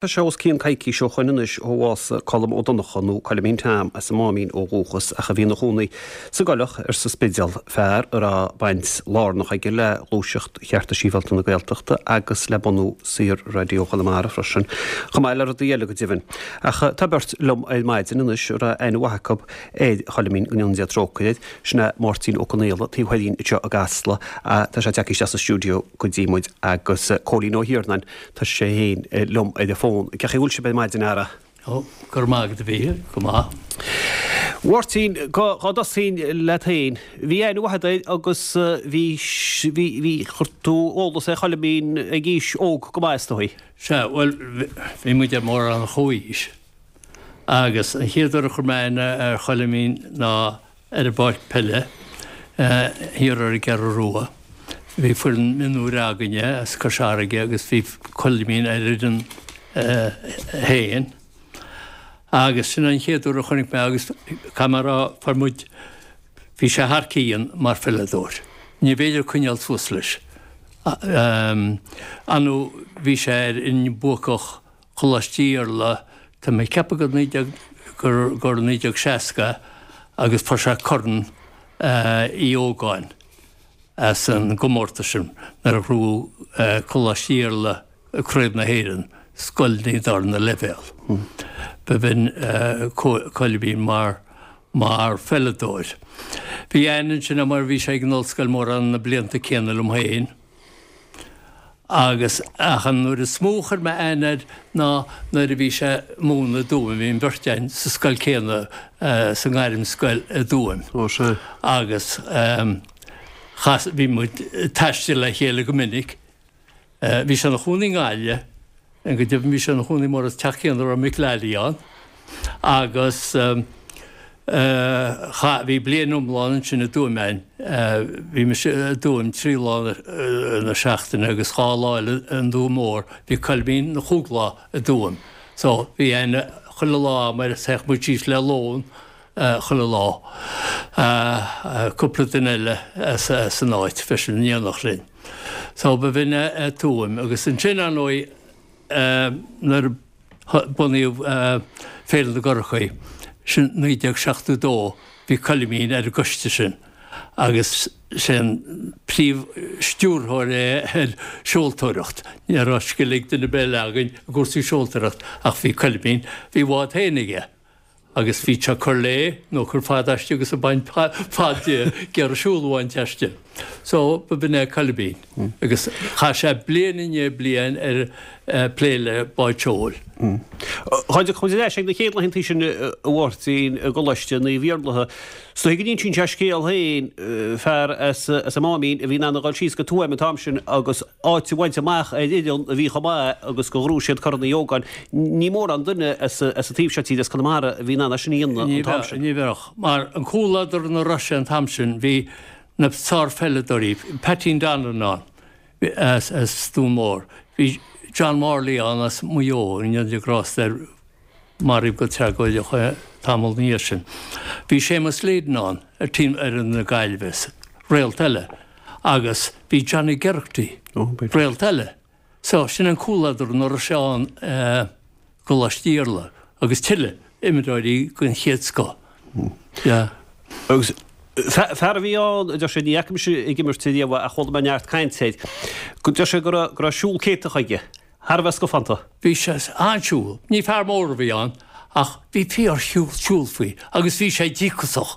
Tá sé os cionn coicís ó shoin anois ó bhásaigh Colm Ó Donnchadha, nó Coilimín Tom, as an Máimín ó dhúchas ach a bhí ina chónaí sa gCoileach ar sa Spidéal, fear a raibh baint lárnach aige le gluaiseacht chearta sibhialta na Gaeltachta agus le bunú Saor-Raidió Chonamara freisin, chomh maith le rudaí eile go deimhin. Ach tá beirt liom ar maidin anois a raibh aithne mhaith acu ar Choilimín, go ndéana Dia trócaire air, sin é Máirtín Ó Conaola, taobh thoir dhínn anseo i gCasla, tá sé tagtha isteach sa stiúideo go dtí muid, agus Cóilín Ó hIarnáin, Tá sé féin liom ar an bhfón. Cén chaoi a bhfuil sibh ar maidin, a fheara? Ó, go raibh maith agat, a Mhíchíl, go maith. Mháirtín, dá dtosóinn leat féin, bhí aithne mhaith agat air agus bhí, bhí, bhí, chuir tú eolas ar Choilimín ag aois óg go maith is dóigh. Sea, bhuel, bhí muid ar mórán ar chomhaois agus an chéad uair a chuir mé aithne ar Choilimín ná ar an bpáirc peile thiar ar an gCeathrú Rua. Bhí foireann mionúir againne as Cois Fharraige agus bhí Coilimín ar fhoireann féin. Agus sin an chéad uair a chonaic mé agus caithfidh mé a rá, fuair muid, bhí sé thar cionn mar pheileadóir. Ní bhféidir coinneáil suas leis. Ar ndóigh bhí sé ar fhoireann buacach Choláiste Iarlaith, tá mé ag ceapadh gur 19, gur, gur 1960 agus fuair sé Corn Uí Ógáin as an gcomórtas sin nuair a ghnóthaigh Coláiste Iarlaith Craobh na hÉireann, scoileanna darna leibhéal. Ba bhinn Coilimín mar, mar pheileadóir. Bhí aithne ansin air mar bhí sé ag an ollscoil mórán na blianta céanna liom féin. Agus, ach an uair is mó a chuir mé aithne air ná nuair a bhí sé ag múineadh i dTuaim, bhí an bheirt againn sa scoil céanna, sa ngairmscoil i dTuaim. Ó, sea. Agus chas, bhí muid ag taisteal le chéile go minic. Bhí sé ina chónaí i nGaillimh, go deimhin bhí sé ina chónaí mór sa teach céanna a raibh Mick Lally ann. Agus chaith, bhí bliain iomlán ansin i dTuaim a'inn. Bhí mise i dTuaim 3 lá na seachtaine agus 2 lá eile i nDún Mór. Bhí Coilmín na chúig lá i dTuaim. So bhí aithne chuile lá a'm air, théadh muid síos le lón chuile lá. Cúpla duine eile as an áit freisin in éineacht linn. So ba bhinn é Tuaim. Agus ansin, ar ndóigh, nuair a. Bunaíodh Féile na gCurachaí, sin 1972, bhí Coilimín ar an gcoiste sin agus sé an príomh-stiúrthóir é ar seoltóireacht. Ní raibh scil ag duine ar bith eile againn i gcúrsaí seoltóireacht ach bhí Coilimín, bhí bád féin aige agus bhí sé ag cur léi nó ag cur fad aisti agus ag baint fad di, ag iarraidh siúl a bhaint aisti. So ba bhinn é Coilimín agus chaith sé bliain i ndiaidh bliain ar plé le báid seoil. Dá dtiocfadh muid ar ais ag na chéad laethantaí sin a Mháirtín i gColáiste Naomh Iarlaithe. Is dóigh go n-insíonn sé a scéal féin, fear as an Máimín a bhí in ann a dhul síos go Tuaim an t-am sin agus áit a bhaint amach ar fhoireann a bhí chomh maith agus gur ghnóthaigh siad Corn Uí Ógáin. Ní mórán duine as an taobh seo tíre, as Conamara, a bhí in ann é sin a dhéanamh an t-am sin. Ní bheadh. Mar an comhluadar ina raibh sé an t-am sin, bhí na sárpheileadóirí, Pateen Donlan ann, as Dún Mór. Bhí John Morley ann as Maigh Eo, go ndéana Dia grásta air, maraíodh go tragóideach é tamall ina dhiaidh sin. Bhí Séamus Leyden ann ar team fhoireann na Gaillimhe, réalt eile, agus bhí Johnny Geraghty, réalt eile. So, sin an comhluadar ina raibh sé ann i gColáiste Iarlaith agus tuilleadh imreoirí den chéad scoth. Yeah. Agus fear a bhí ann, a deir sé, ní fhaca mise ag imirt ariamh é ach chuala mé neart cainte air, go deir sé go raibh, go raibh siúl céatach aige, thar a bheith scafánta. Bhí sé an-siúl. Ní fear mór a bhí ann ach bhí fíor-shiúl siúl faoi agus bhí sé díocasach.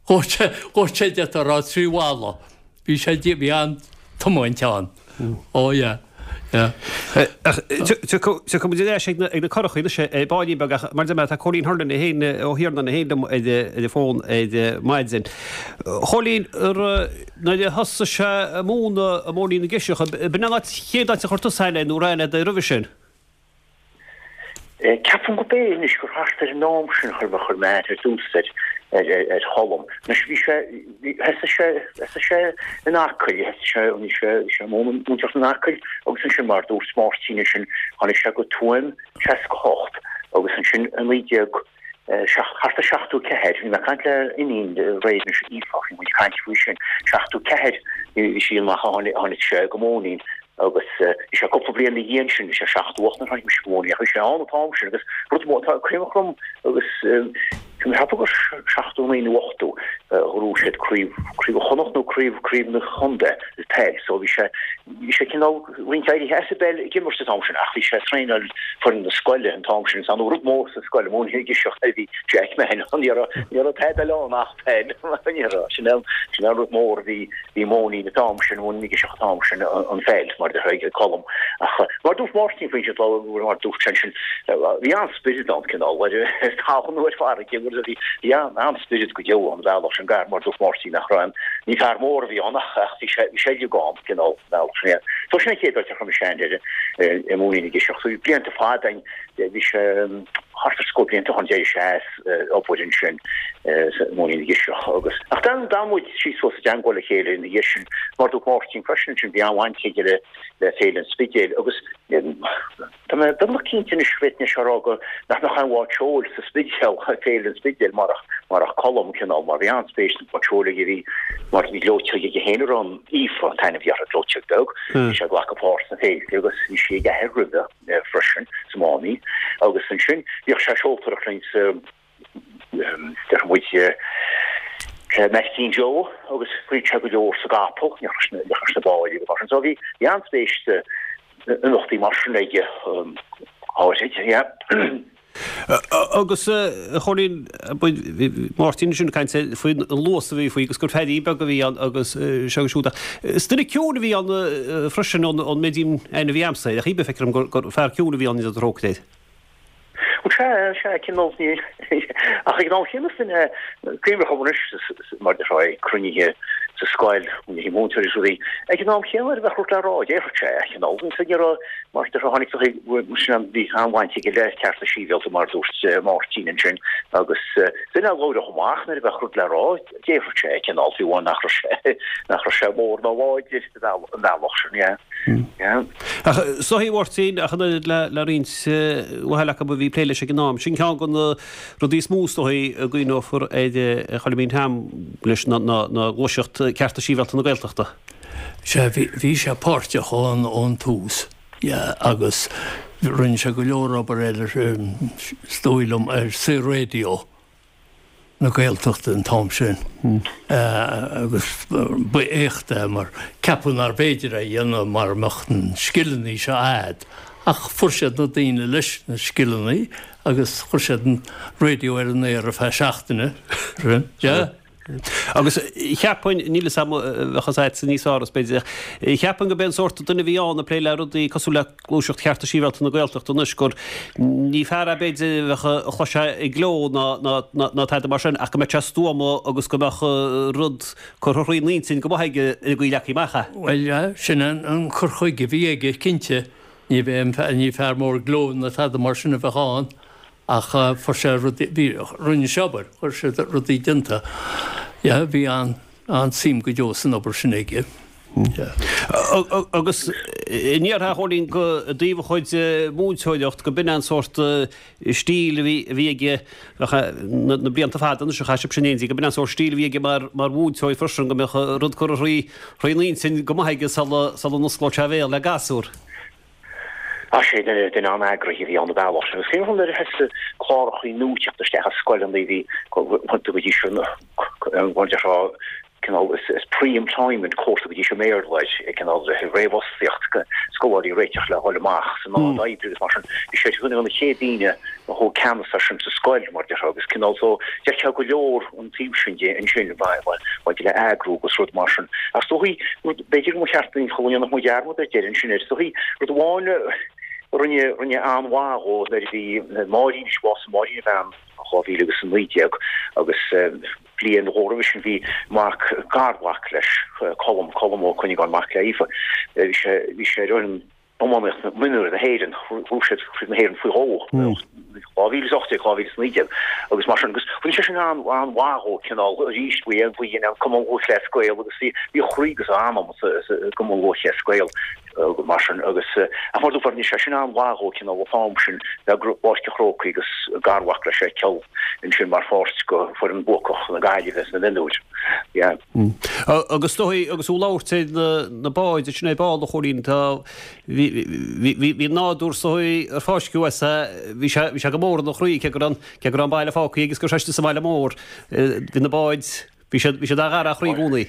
Dhúirt sé, dhúirt sé d'fhéadfá a rá 3 mhalla. Bhí sé, bhí an-tiomáint ann. Oh yeah, yeah. Ach tiocfaidh muid ar ais ag na curachaí anois ar baillín beag ach mar a deir mé tá Cóilín Hurlin é féin Ó hIarnáin é féin liom ar an bhfón ar maidin. Chóilín, nuair a thosaigh sé ag múineadh i mBóithrín na gCiseach, b'in an áit, chéad áit a chuir tusa aithne air nó raibh aithne agat air roimhe sin? Ceapaim go b'é anois gur thart ar an am sin a chuir mé chuir mé aithne ar dtús ar ar Cholm. Anois bhí sé bhí thosaigh sé thosaigh sé in Acaill thosaigh sé bhí sé bhí sé ag múinteoireacht in Acaill agus ansin mar a dúirt Máirtín ansin tháinig sé go Tuaim 68 agus ansin i 19 thart ar 74 bhí mé ag caint le iníon aréir anois Aoife bhí muid ag caint faoi sin 74 bhí sí amach tháinig sé go Móinín. Agus bhí sé cúpla bliain ina dhiaidh sin, bhí sé 78 nuair a tháinig mise go Móinín, ach bhí sé ann an t-am sin agus rud mór, tá cuimhne agam agus tá mé ag ceapadh gur 79 nó 80 a ghnóthaigh siad craobh, craobh Chonnacht nó craobh, craobh na chontae sa peil so bhí sé, bhí sé cineál roinnt éirithe as an bpeil ag imirt an t-am sin ach bhí sé ag traenáil foireann na scoile an t-am sin is an rud mór sa scoil, Móinín na gCiseach a bhí Jack Mahon, ní raibh, ní raibh tada eile ann ach peil, ní raibh, sin an, sin an rud mór a bhí. Bhí Móinín an t-am sin, Móinín na gCiseach an t-am sin, an pheil, mar a déarfá, ag Colm. Ach mar a dúirt Máirtín faoin lá, mar a dúirt sé ansin, bhí an-spiorad ann, cineál, ar talamh nó ar farraige, agus bhí, bhí an-spiorad go deo ann, an bealach sin, gar, mar a dúirt Máirtín, nach raibh aon, ní fear mór a bhí ann ach, ach bhí sé, bhí sé uilig ann, cineál, an bealach sin, yeah. So sin an chéad áit a chuir mise aithne air, i Móinín na gCiseach. So bhí blianta fada ann, bhí sé thart ar scór blianta ó shin, d'éirigh sé as obair ansin sa Móinín na gCiseach agus, ach d'fhan, d'fhan muid síos suas i dteangmháil le chéile ina dhiaidh sin. Mar a dúirt Máirtín freisin ansin, bhí an-bhaint aige le, le Féile an Spidéil agus tá mé beagnach cinnte anois, bhféadfainn é seo a rá go, nach mbeadh aon bhád seoil sa Spidéal, Féile an Spidéil, marach, marach Colm, cineál, mar bhí an-spéis sna báid seoil aige, bhí, mar bhí gleoiteog aige féin a raibh an Aoife an t-ainm a bhí uirthi, gleoiteog beag, bhí sé ag glacadh páirt sna féilte agus bhí sí ag a athair roimhe. freisin sa Máimín agus ansin bhíodh sé ag seoltóireacht linn sa déarfaidh muid Maidhcín Joe agus rith sé go leor sa gcapall, leis na báid agus mar sin. So bhí bhí an-spéis sa imeachtaí mar sin aige áirid, yeah. Agus a Chóilín, bhí Máirtín ansin ag caint faoin luas a bhí faoi agus gur feairín beag a bhí ann agus seo agus siúd ach is duine ciúin a bhí ann freisin ón méid aithne a bhí a'msa air ach cibé feictear dom gur fear ciúin a bhí ann idir trócaire air. Bhuel sea, sea, cineál ní ach ag an am chéanna is duine cuimhneach agam anois mar a déarfá ag cruinnithe sa scoil, cruinnithe múinteoirí is rudaí, ag an am chéanna nuair a bheadh rud le rá, déarfadh sé é, cineál, ní raibh Mar a déarfá tháinig sin an bhí an-bhaint aige le cearta sibhialta mar a dúirt Máirtín ansin agus duine a labhródh amach nuair a bheadh rud le rá, déarfadh sé é cineál fiú amháin nach raibh sé nach raibh sé mór ná láidir an bealach sin, yeah. Yeah. Ach is dóichí a Mháirtín, ach an oiread le le roinnt mhaith eile acu a bhí ag plé leis ag an am, sin ceann de na rudaí is mó is dóichí a gcuimhneofar ar Choilimín Tom leis ná ná gluaiseacht cearta sibhialta na Gaeltachta. Sea, bhí sé páirteach ón ón tús, yeah, agus rinne sé go leor obair eile, is dóigh liom, ar Saor-Raidió na Gaeltachta an t-am sin agus ba éacht é mar ceapadh nárbh fhéidir é a dhéanamh mara mbeadh na scileanna seo a'd ach fuair siad na daoine leis na scileanna agus chuir siad an raidió ar an aer ar feadh seachtaine, yeah. Agus cheapfainn, níl 'fhios a'm, bheadh fhios a'dsa níos fearr is b'fhéidir, ach cheapfainn go b'é an sórt duine a bhí ann ag plé le rudaí cosúil le gluaiseacht chearta sibhialta na Gaeltachta anois gur ní fear é b'fhéidir a bheadh a chloisfeá ag gleo ná ná ná tada mar sin ach go mbeadh sé stuama agus go mbeadh rud curtha thrína intinn go maith aige ar an gcaoi a leagfaí amach é. Bhuel, yeah, sin an cur chuige a bhí aige, cinnte. Ní bheadh, ní fear mór gleo ná tada mar sin a bheadh ann. Ach fuair sé rudaí, bhí, rinne sé obair, chuir sé rudaí déanta. Yeah, bhí an, an-suim go deo san obair sin aige. Yeah. Agus an ndéarfá a Chóilín go i dtaobh a chuid múinteoireacht go b'in an sórt stíl a bhí, a bhí aige na, na blianta fada anois a chaith sibhse in éindí, go b'in an sórt stíl a bhí aige mar, mar mhúinteoir freisin, go mbeadh rud curtha thrí, thrína intinn go maith aige sula, sula n-osclódh sé a bhéal le gasúr. Ach sé duine duine an-eagraithe a bhí ann an bealach sin. Agus cén nuair a thosaigh clárachaí nua teacht isteach i scoileanna bhí go dtí seo mar a déarfá cineál is is pre-employment course go dtí seo i mBéarla air cineál réamhfhostaíocht scoláirí réiteach le dhul amach san áit oibre agus mar sin. Bhí sé duine de na chéad daoine a thóg ceannas air sin sa scoil mar a déarfá agus cineál so d'fheicfeá go leor an taobh sin de ansin maidir le eagrú agus rud mar sin. Ach is dóichí, rud, b'fhéidir go mba cheart dúinn chuile ndéanfadh muid dearmad ar deireadh ansin air. Is dóichí, rud amháin a rinne, rinne an-mhaith dhó nuair a bhí Máirín, bhásaigh Máirín a bhean 2019 agus bliain nó dhó roimhe sin bhí mac, garmhac leis, Colm, Colm Ó Cuinneagáin, mac le Aoife, bhí sé, bhí sé ar fhoireann iománaíocht mionúir na hÉireann, bhuaigh siad Craobh na hÉireann faoi dhó, 2018, 2019 agus mar sin, agus rinne sé sin an-mhaith dhó cineál arís, bhí bhí an Cumann Lúthchleas Gael agus bhí a chroí agus a anam sa gCumann Lúthchleas Gael. Mar sin agus, ach mar dúirt mé, bhí sé sin an-mhaith dhó cineál an t-am sin bheith i bPáirc an Chrócaigh agus garmhac leis é Cill ansin mar pháirt go foireann buacach na Gaillimhe sna mionúir. Yeah. Agus is dóigh, agus tú ag labhairt ar na báid ansin ar ball a Chóilín, tá, bhí, bhí, bhí nádúr is dóigh ar fáisceadh as é, bhí sé, bhí sé go mór ina chroí cé go raibh, cé go raibh an baile fágtha aige agus go raibh sé istigh sa bhaile mór, bhí na báid, bhí siad, bhí siad dá ghar dá chroí i gcónaí.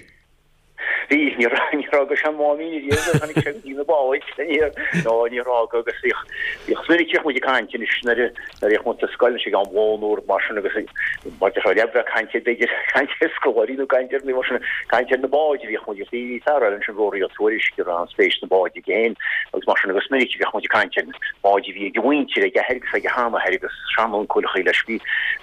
Bhí, níor níor fhága sé an Máimín ariamh nuair a tháinig sé go dtí na báid, níor, nó níor fhága agus bhíodh, bhíodh, is minic a bhíodh muid ag caint anois nuair a, nuair a bhíodh muid sa scoil anois ag am lóin nó rud mar sin agus mar déarfá le bheith ag caint ar b'fhéidir caint ar scoláirí nó caint ar mar sin, caint ar na báid a bhíodh muid, bhí bhí fear eile ansin Ruairí Ó Tuairisg a raibh an-spéis sna báid aige féin agus mar sin agus is minic a bhíodh muid ag caint ar na báid a bhí ag a mhuintir, ag a athair agus ag a sheanathair agus seanuncail leis. Bhí,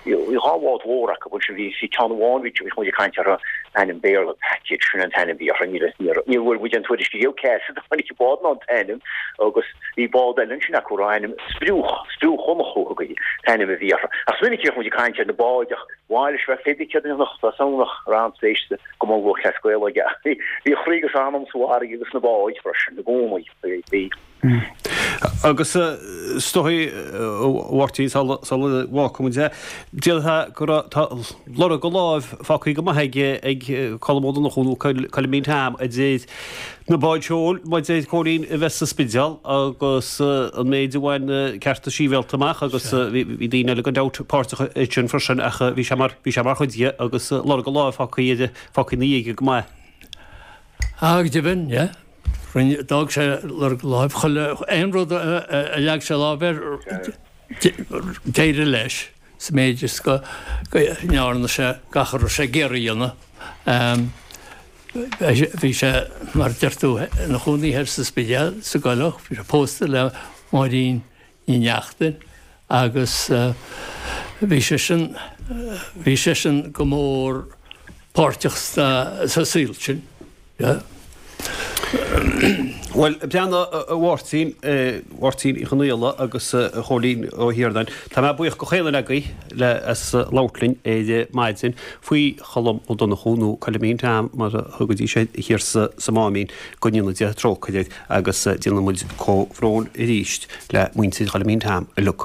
bhí dhá bhád mhór acu ansin, bhí, bhí ceann amháin, bhí, bhíodh muid ag caint orthu, ainm Béarla, Package, sin an t-ainm a bhí orthu, níor, níor, níor bhfuair muid aon tuairisc riamh cé as a dtáinig an bád ná an t-ainm agus bhí bád eile ansin acu a raibh ainm Spriúch, Spriúch Dhonnchú a thugtaí, t-ainm a bhí orthu. Ach is minic a bhíodh muid ag caint ar na báid ach b'mhaith leis bheith pé céard a dhéanfadh, tá a fhios agam raibh an-spéis sa gCumann Lúthchleas Gael aige ach bhí, bhí a chroí agus a anam sa bhfarraige agus sna báid freisin i gcónaí, bhí, bhí. Agus is dóigh, a Mháirtín, sula bhfágfaidh muid é, d'fhéadfá go raibh, tá lorg a láimh fágtha go maith aige ag Colm Ó Donnchú nó Coilimín Tom a deir na báid seoil, mar a deir Cóilín, a bheith sa Spidéal agus an méid a bhain na cearta sibhialta amach agus bhí daoine eile gan dabht páirteach ansin freisin ach bhí sé mar, bhí sé mar chuid dhe agus lorg a láimh fágtha aige, fágtha ina dhiaidh go maith. Á, go deimhin, yeah. Rinne, d'fhág sé lorg a láimh, chuile, aon rud a leag sé lámh air, d'éirigh leis, sa méid is go ndearna sé gach a raibh sé ag iarraidh a dhéanamh. Bhí sé, mar a deir tú, ina chónaí thoir sa Spidéal, sa gCoileach, bhí sé pósta le Máirín Ní Neachtain agus bhí seisean, bhí seisean go mór páirteach sa saol sin. Yeah. Bhuel, breathnaigh a Mháirtín, a Mháirtín Uí Chonaola agus a Chóilín Ó hIarnáin, tá mé buíoch go chaon duine agaibh le as labhairt linn ar maidin faoi Cholm Ó Donnchú nó Coilimín Tom mar a thugaidís air thiar sa sa Máimín, go ndéana Dia trócaire air. Agus déanann muid comhbhrón arís le muintir Choilimín Tom uilig.